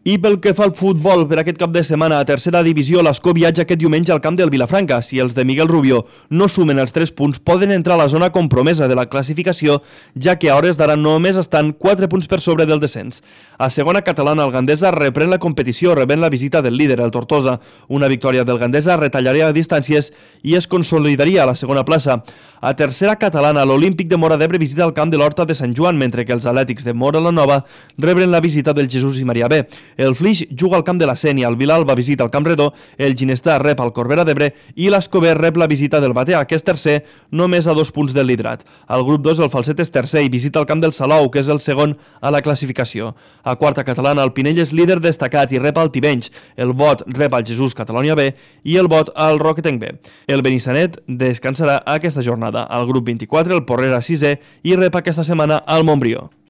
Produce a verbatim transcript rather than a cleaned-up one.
I pel que fa al futbol, per aquest cap de setmana a tercera divisió, l'Escó viatja aquest diumenge al camp del Vilafranca. Si els de Miguel Rubio no sumen els tres punts, poden entrar a la zona compromesa de la classificació, ja que a hores d'ara només estan quatre punts per sobre del descens. A segona catalana, el Gandesa reprèn la competició, rebent la visita del líder, el Tortosa. Una victòria del Gandesa retallaria distàncies i es consolidaria a la segona plaça. A tercera catalana, l'Olímpic de Móra d'Ebre visita el camp de l'Horta de Sant Joan, mentre que els Atlètics de Móra la Nova rebren la visita del Jesús i Maria B. El Flix juga al camp de la Sénia, el Vilalba visita el Camp Redó, el Ginestar rep al Corbera d'Ebre i l'Escober rep la visita del Batea, que és tercer, només a dos punts del liderat. Al grup dos, el Falset és tercer i visita el camp del Salou, que és el segon a la classificació. A quarta catalana, el Pinell és líder destacat i rep al Tivenys, el Bot rep al Jesús Catalònia B i el Bot al Roquetenc B. El Benissanet descansarà aquesta jornada. Al grup vint-i-quatre, el Porrera sisè i rep aquesta setmana al Montbrió.